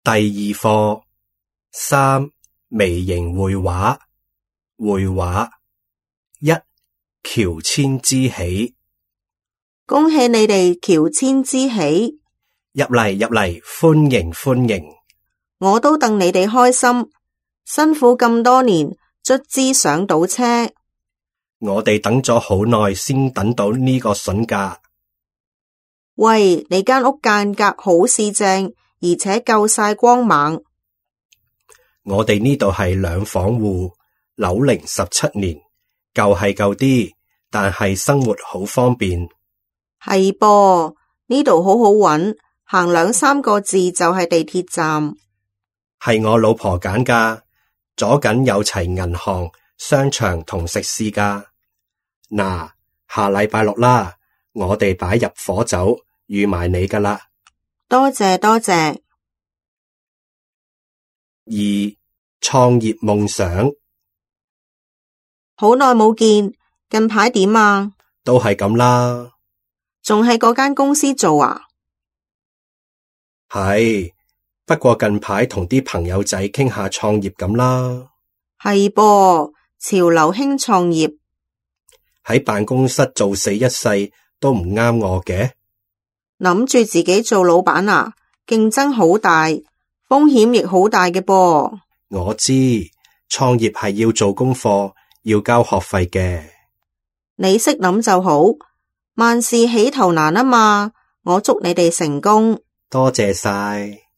第二課3微型繪畫。繪畫1喬遷之喜。恭喜你哋喬遷之喜，入嚟，歡迎歡迎。我都戥你哋開心，辛苦咁多年，卒之上到車。我哋等咗好耐先等到呢個筍架。喂，你間屋間隔好四正，而且夠晒光猛。我哋呢度係兩房戶，樓齡17年，舊係舊啲，但係生活好方便。係噃，呢度好好搵，行2-3個字就係地鐵站。係我老婆揀㗎，左近有齊銀行、商場同食肆㗎。嗱，下禮拜6啦，我哋擺入伙酒，預埋你㗎啦。多謝多謝。2創業夢想。好耐冇見，近排點啊？都係咁啦。仲喺嗰間公司做啊？係，不過近排同啲朋友仔傾下創業咁啦。係噃，潮流興創業。喺辦公室做死一世都唔啱我嘅。諗住自己做老闆啊？競爭好大，風險亦好大嘅噃。我知，創業係要做功課，要交學費嘅。你識諗就好，萬事起頭難啊嘛，我祝你哋成功。多謝晒。